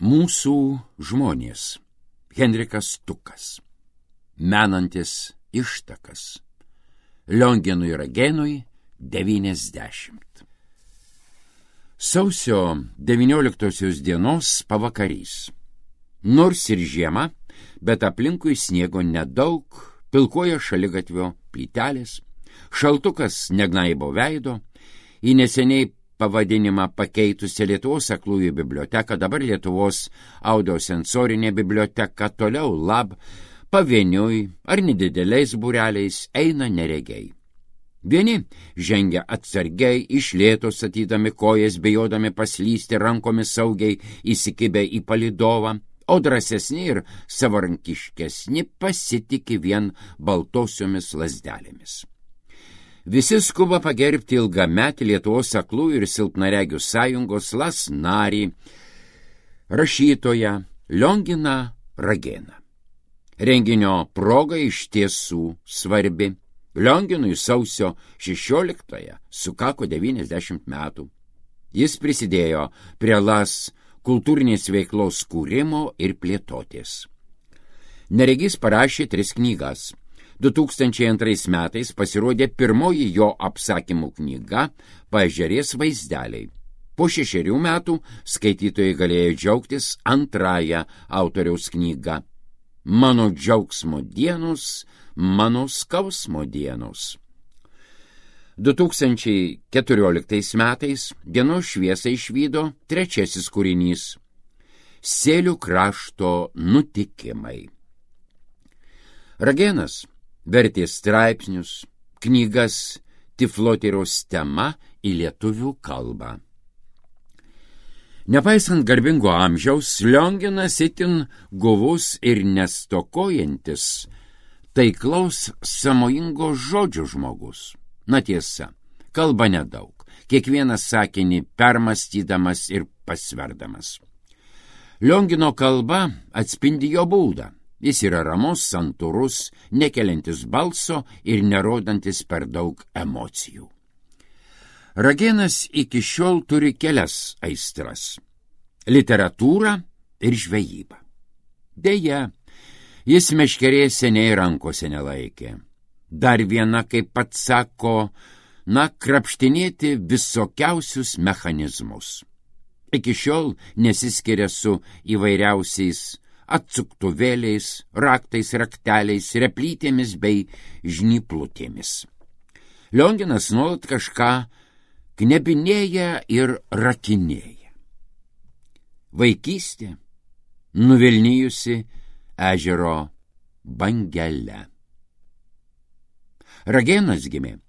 Mūsų žmonės. Henrikas Tukas. Menantis ištakas. Lionginui Ragenui 90. Sausio 19 dienos pavakarys. Nors ir žiema, bet aplinkui sniego nedaug, pilkoja šaligatvio plytelės, šaltukas negnaibo veido, į neseniai pavadinimą pakeitusią Lietuvos aklųjų biblioteką, dabar Lietuvos audiosensorinė biblioteka, toliau lab, pavieniui ar nedideliais būreliais eina neregiai. Vieni žengia atsargiai, iš lėto statydami kojas, bijodami paslysti, rankomis saugiai įsikibę į palydovą, o drąsesni ir savarankiškesni pasitiki vien baltosiomis lazdelėmis. Visi skuba pagerbti ilgametį Lietuvos aklųjų ir silpnaregių sąjungos LAS narį, rašytoją Lionginą Rageną. Renginio proga iš tiesų svarbi. Lionginui sausio 16 sukako 90 metų. Jis prisidėjo prie LAS kultūrinės veiklos kūrimo ir plėtotės. Neregys parašė 3 knygas. 2002 metais pasirodė pirmoji jo apsakymų knyga Paežerės vaizdeliai. Po 6 metų skaitytojai galėjo džiaugtis antrąją autoriaus knygą Mano džiaugsmo dienos, mano skausmo dienos. 2014 metais dienos šviesą išvydo 3 kūrinys Sėlių krašto nutikimai. Ragenas vertė straipsnius, knygas Tiflotyros tema į lietuvių kalbą. Nepaisant garbingo amžiaus, Lionginas itin guvus ir nestokojantis taiklaus sąmojingo žodžio žmogus. Na tiesa, kalba nedaug, kiekvieną sakinį permąstydamas ir pasverdamas. Liongino kalba atspindi jo būdą. Jis yra ramus, santūrus, nekeliantis balso ir nerodantis per daug emocijų. Ragenas iki šiol turi kelias aistras – literatūrą ir žvejybą. Deja, jis meškerės seniai rankose nelaikė. Dar viena, kaip pats sako, krapštinėti visokiausius mechanizmus. Iki šiol nesiskiria su įvairiausiais atsuktuvėliais, raktais, rakteliais, replytėmis bei žnyplutėmis. Lionginas nuolat kažką knebinėja ir rakinėja. Vaikystė nuvilnijusi ežero bangele. Ragenas gimė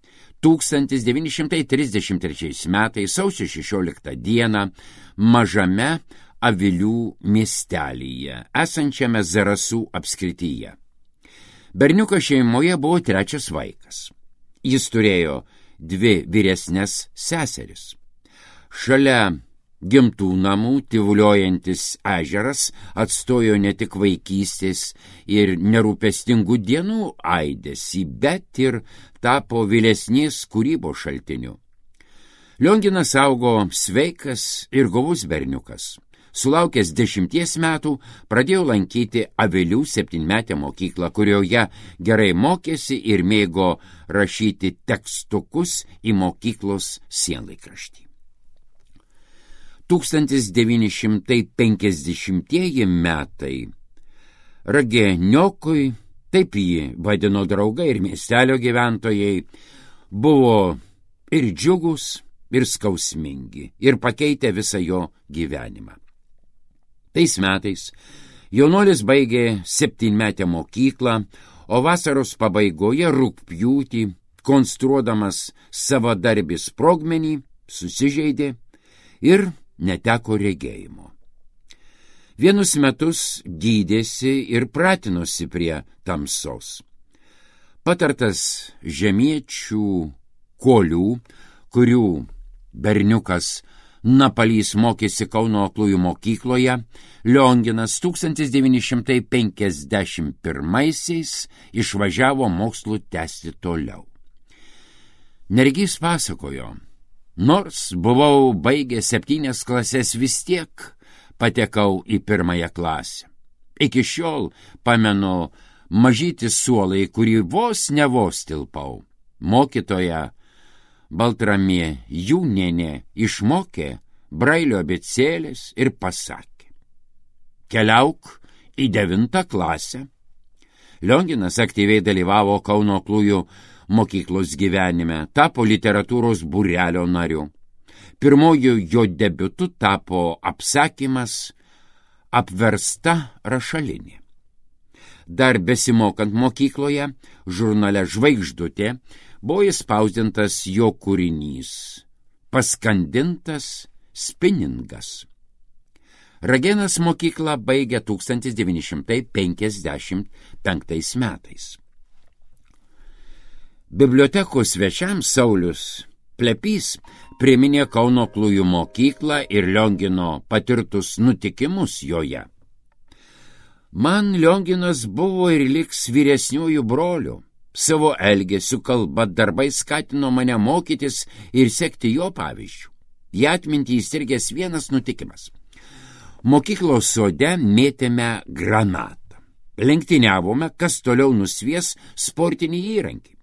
1933 metais sausio 16 dieną mažame Avilių miestelyje, esančiame Zarasų apskrityje. Berniukas šeimoje buvo 3 vaikas. Jis turėjo 2 vyresnės seseris. Šalia gimtų namų tyvuliojantis ežeras atstojo ne tik vaikystės ir nerūpestingų dienų aidesį, bet ir tapo vėlesnės kūrybos šaltiniu. Lionginas augo sveikas ir guvus berniukas. Sulaukęs 10 metų pradėjo lankyti Avilių 7-metę mokyklą, kurioje gerai mokėsi ir mėgo rašyti tekstukus į mokyklos sienlaikraštį. 1950 metai Rageniokui, taip jį vadino draugai ir miestelio gyventojai, buvo ir džiugus, ir skausmingi, ir pakeitė visą jo gyvenimą. Tais metais jaunuolis baigė 7-metę mokyklą, o vasaros pabaigoje rugpjūtį, konstruodamas savadarbį sprogmenį, susižeidė ir neteko regėjimo. Vienus metus gydėsi ir pratinosi prie tamsos. Patartas žemiečių kolių, kurių berniukas Napalys mokėsi Kauno aklųjų mokykloje, Lionginas 1951 išvažiavo mokslų tęsti toliau. Neregys pasakojo, nors buvau baigęs 7 klases, vis tiek patekau į 1 klasę. Iki šiol pamenu mažytį suolą, į kurį vos tilpau. Mokytoja Baltramė Jūnienė išmokė Brailio abėcėlės ir pasakė: keliauk į 9 klasę. Lionginas aktyviai dalyvavo Kauno aklųjų mokyklos gyvenime, tapo literatūros būrelio nariu. Pirmoju jo debiutu tapo apsakymas Apversta rašalinė. Dar besimokant mokykloje, žurnale Žvaigždutė buvo įspausdintas jo kūrinys Paskandintas spiningas. Ragėnas mokyklą baigė 1955 metais. Bibliotekos svečiams Saulius Plepys priminė Kauno aklųjų mokyklą ir Liongino patirtus nutikimus joje. Man Lionginas buvo ir liks vyresniųjų brolių. Savo elgesiu, kalba, darbai skatino mane mokytis ir sekti jo pavyzdžių. Į atmintį įsirgęs vienas nutikimas. Mokyklos sode mėtėme granatą. Lenktyniavome, kas toliau nusvies sportinį įrankį.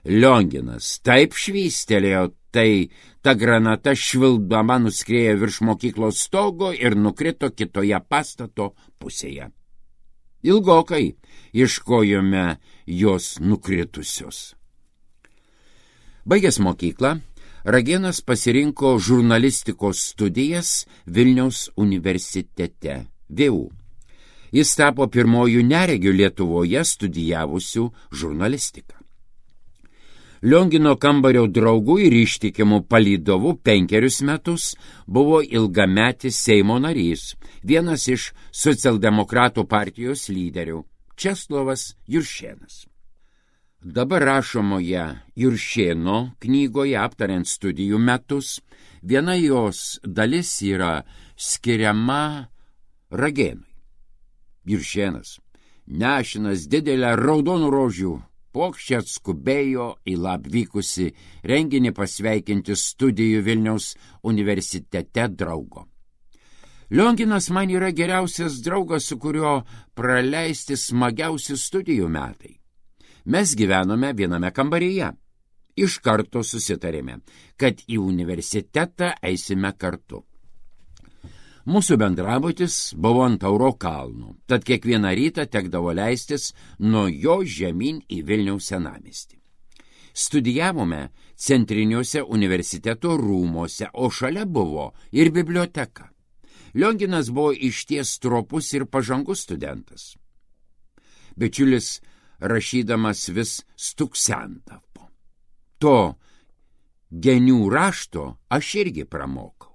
Lionginas taip švystelėjo, tai ta granata švilpdama nuskriejo virš mokyklos stogo ir nukrito kitoje pastato pusėje. Ilgokai ieškojome jos nukritusios. Baigęs mokyklą, Ragėnas pasirinko žurnalistikos studijas Vilniaus universitete VU. Jis tapo pirmojų neregių Lietuvoje studijavusių žurnalistiką. Liongino kambario draugų ir ištikimų palydovų 5 metus buvo ilgametis Seimo narys, vienas iš socialdemokratų partijos lyderių, Česlovas Juršėnas. Dabar rašomoje Juršėno knygoje aptariant studijų metus, viena jos dalis yra skiriama Ragėnui. Juršėnas, nešinas didelę raudonų rožių puokštę, atskubėjo į vykusi renginį pasveikinti studijų Vilniaus universitete draugo. Lionginas man yra geriausias draugas, su kuriuo praleisti smagiausi studijų metai. Mes gyvenome viename kambaryje. Iš karto susitarėme, kad į universitetą eisime kartu. Mūsų bendrabutis buvo ant Tauro kalnų, tad kiekvieną rytą tekdavo leistis nuo jo žemyn į Vilniaus senamiestį. Studijavome centriniuose universiteto rūmuose, o šalia buvo ir biblioteka. Lionginas buvo išties stropus ir pažangus studentas. Bičiulis rašydamas vis stuksendavo. To genių rašto aš irgi pramokau.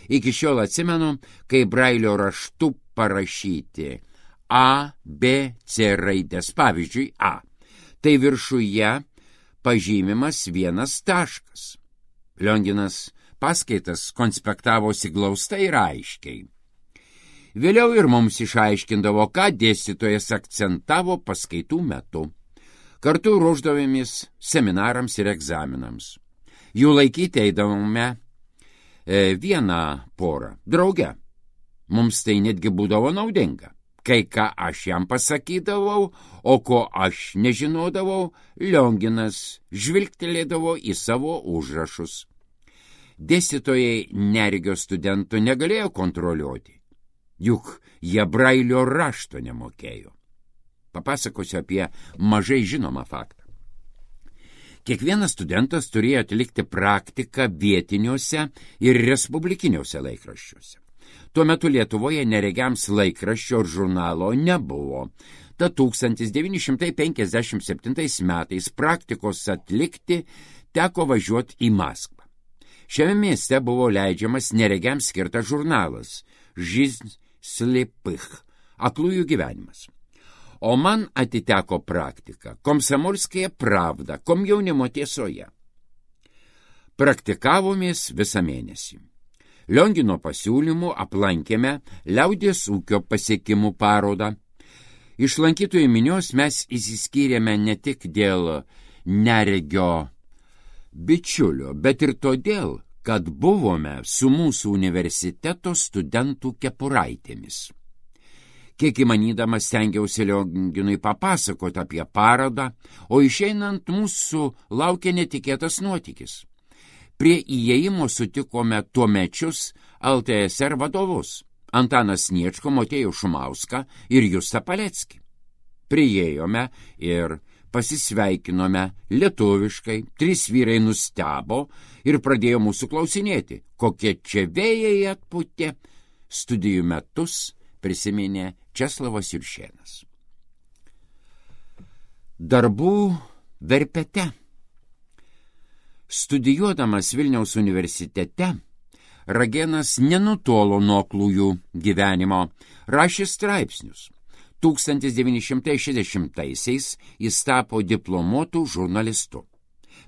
Iki šiol atsimenu, kai Brailio raštu parašyti A, B, C raidės, pavyzdžiui A. Tai viršuje pažymimas 1 taškas. Lionginas paskaitas konspektavosi glaustai ir aiškiai. Vėliau ir mums išaiškindavo, ką dėstytojas akcentavo paskaitų metu. Kartu ruošdavomės seminarams ir egzaminams. Jų laikyti eidavome vieną porą drauge. Mums tai netgi būdavo naudinga. Kai ką aš jam pasakydavau, o ko aš nežinodavau, Lionginas žvilgtelėdavo į savo užrašus. Dėstytojai neregio studentų negalėjo kontroliuoti, juk jie Brailio rašto nemokėjo. Papasakosiu apie mažai žinomą faktą. Kiekvienas studentas turėjo atlikti praktiką vietiniuose ir respublikiniuose laikraščiuose. Tuo metu Lietuvoje neregiams laikraščio ir žurnalo nebuvo. Tad 1957 metais praktikos atlikti teko važiuoti į Maskvą. Šiame mieste buvo leidžiamas neregiams skirtas žurnalas Жизнь слепых, aklųjų gyvenimas. O man atiteko praktika Komsomolskaja pravda, komjaunimo tiesoje. Praktikavomės visą mėnesį. Liongino pasiūlymų aplankėme liaudies ūkio pasiekimų parodą. Iš lankytojų minios mes išsiskyrėme ne tik dėl neregio bičiulio, bet ir todėl, kad buvome su mūsų universiteto studentų kepuraitėmis. Kiek įmanydamas stengiausi Lionginui papasakoti apie parodą, o išeinant mūsų laukė netikėtas nuotykis. Prie įėjimo sutikome tuomečius LTSR vadovus Antaną Sniečką, Motiejų Šumauską ir Justą Paleckį. Priėjome ir pasisveikinome lietuviškai, 3 vyrai nustebo ir pradėjo mūsų klausinėti, kokie čia vėjai atpūtė. Studijų metus prisiminė Česlavas Juršėnas. Darbų verpete. Studijuodamas Vilniaus universitete, Ragėnas nenutolo nuo aklųjų gyvenimo, rašė straipsnius. 1960-aisiais jis tapo diplomuotų žurnalistu.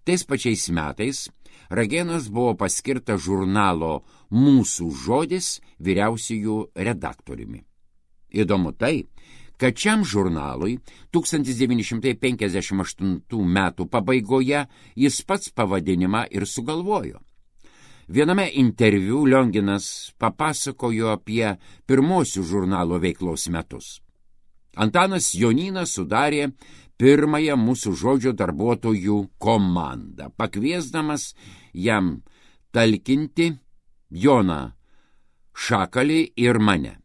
Tais pačiais metais Ragėnas buvo paskirtas žurnalo Mūsų žodis vyriausiųjų redaktoriumi. Įdomu tai, kad šiam žurnalui 1958 metų pabaigoje jis pats pavadinimą ir sugalvojo. Viename interviu Lionginas papasakojo apie pirmosius žurnalo veiklos metus. Antanas Jonynas sudarė pirmąją Mūsų žodžio darbuotojų komandą, pakviesdamas jam talkinti Joną Šakalį ir mane.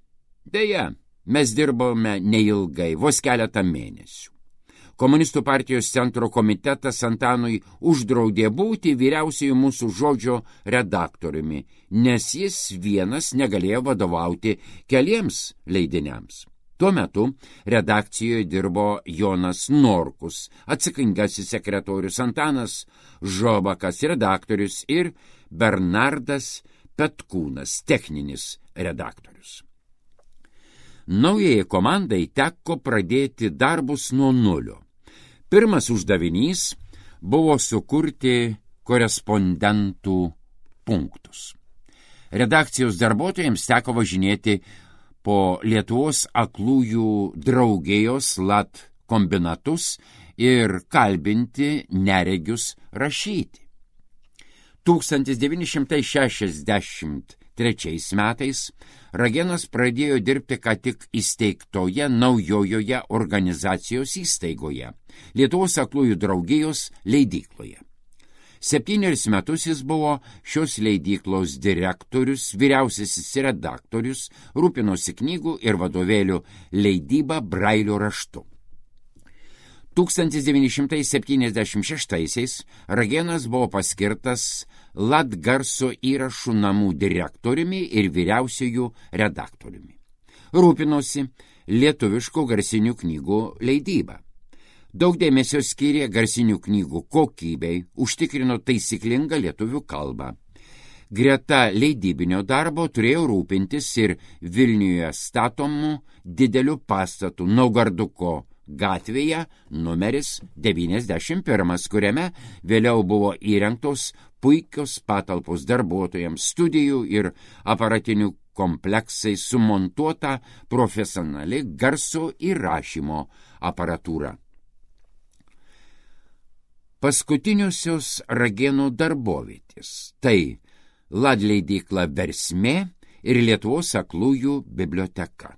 Deja, mes dirbome neilgai, vos keletą mėnesių. Komunistų partijos centro komitetas Antanui uždraudė būti vyriausiųjų Mūsų žodžio redaktoriumi, nes jis vienas negalėjo vadovauti keliems leidiniams. Tuo metu redakcijoje dirbo Jonas Norkus, atsakingasis sekretorius, Antanas Žobakas, redaktorius, ir Bernardas Petkūnas, techninis redaktorius. Naujai komandai teko pradėti darbus nuo nulio. Pirmas uždavinys buvo sukurti korespondentų punktus. Redakcijos darbuotojams teko važinėti po Lietuvos aklųjų draugijos LAT kombinatus ir kalbinti neregius rašyti. 1963 metais Ragėnas pradėjo dirbti ką tik įsteigtoje naujojoje organizacijos įstaigoje – Lietuvos aklųjų draugijos leidykloje. 7 metus jis buvo šios leidyklos direktorius, vyriausiasis redaktorius, rūpinosi knygų ir vadovėlių leidyba brailio raštu. 1976 Ragėnas buvo paskirtas LAT garso įrašų namų direktoriumi ir vyriausiųjų redaktoriumi. Rūpinosi lietuviškų garsinių knygų leidybą. Daug dėmesio skyrė garsinių knygų kokybei, užtikrino taisyklingą lietuvių kalbą. Greta leidybinio darbo turėjo rūpintis ir Vilniuje statomų didelių pastatų Naugarduko gatvėje numeris 91, kuriame vėliau buvo įrengtos puikios patalpos darbuotojams, studijų ir aparatinių kompleksai, sumontuota profesionali garso įrašymo aparatūra. Paskutiniosios Ragėno darbovietės – tai LAT leidykla Versmė ir Lietuvos aklųjų biblioteka.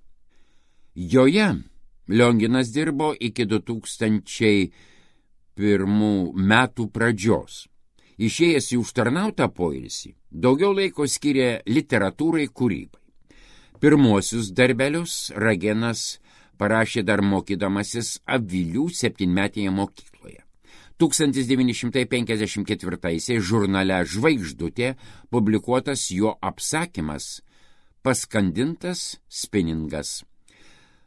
Joje Lionginas dirbo iki 2001 metų pradžios. Išėjęs į užtarnautą poilsį, daugiau laiko skyrė literatūrai, kūrybai. Pirmuosius darbelius Ragėnas parašė dar mokydamasis Avilių 7-metėje mokykloje. 1954 žurnale Žvaigždutė publikuotas jo apsakymas Paskandintas spiningas.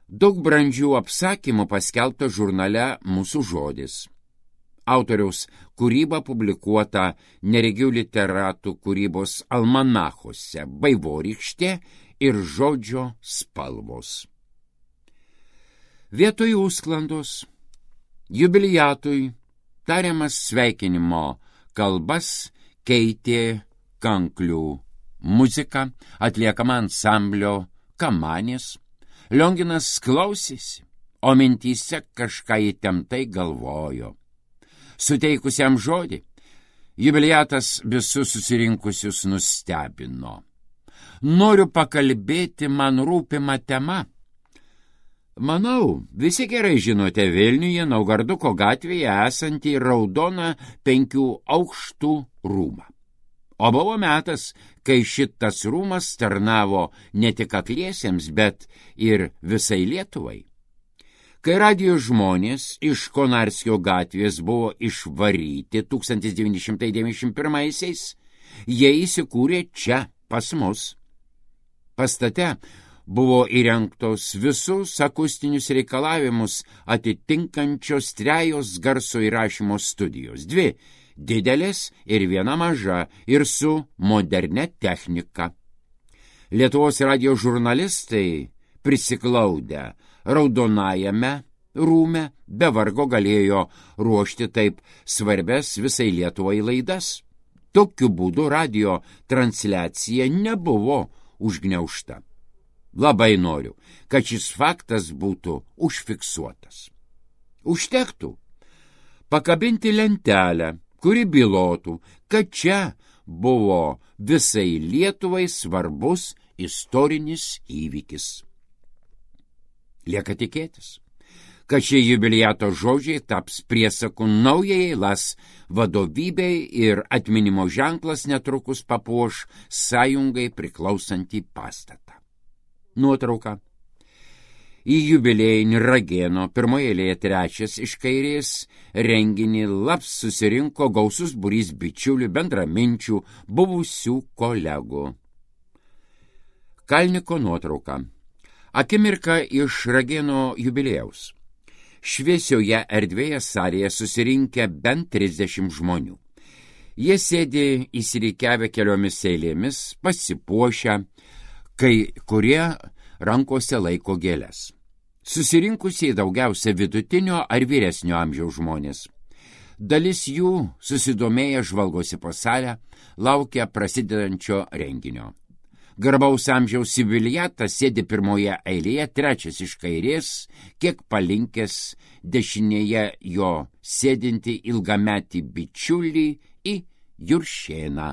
Daug brandžių apsakymų paskelbta žurnale Mūsų žodis. Autoriaus kūryba publikuota neregių literatų kūrybos almanachuose Vaivorykštė ir Žodžio spalvos. Vietoj užsklandos jubiliatui tariamas sveikinimo kalbas keitė kanklių muzika, atliekama ansamblio Kamanės. Lionginas klausėsi, o mintyse kažką įtemptai galvojo. Suteikusiam žodį, Jubiliatas visus susirinkusius nustebino. Noriu pakalbėti man rūpimą temą. Manau, visi gerai žinote Vilniuje, Naugarduko gatvėje esantį raudoną 5 aukštų rūmą. O buvo metas, kai šitas rūmas tarnavo ne tik akliesiems, bet ir visai Lietuvai. Kai radijo žmonės iš Konarskio gatvės buvo išvaryti 1991-aisiais, jie įsikūrė čia pas mus. Pastate buvo įrengtos visus akustinius reikalavimus atitinkančios 3 garso įrašymo studijos, 2 didelės ir 1 maža ir su modernia technika. Lietuvos radijo žurnalistai prisiglaudę raudonajame rūme be vargo galėjo ruošti taip svarbias visai Lietuvai laidas. Tokiu būdu radijo transliacija nebuvo užgniaužta. Labai noriu, kad šis faktas būtų užfiksuotas. Užtektų pakabinti lentelę, kuri bylotų, kad čia buvo visai Lietuvai svarbus istorinis įvykis. Lieka tikėtis, kad šie jubiliato žodžiai taps priesaku naujai LAS vadovybei ir atminimo ženklas netrukus papuoš sąjungai priklausantį pastatą. Nuotrauka. Į jubiliejinį Ragėno pirmoje eilėje 3 iš kairės renginį laps susirinko gausus būrys bičiulių, bendraminčių, buvusių kolegų. Kalniko nuotrauka. Akimirka iš Ragėno jubiliejaus. Šviesioje erdvėje salėje susirinkę bent 30 žmonių. Jie sėdi įsirikiavę keliomis eilėmis, pasipuošę, kai kurie rankose laiko gėles. Susirinkusiai daugiausia vidutinio ar vyresnio amžiaus žmonės. Dalis jų susidomėję žvalgosi po salę, laukia prasidedančio renginio. Garbaus amžiaus jubiliatas sėdi pirmoje eilėje, 3 iš kairės, kiek palinkęs dešinėje jo sėdinti ilgametį bičiulį į Juršėną.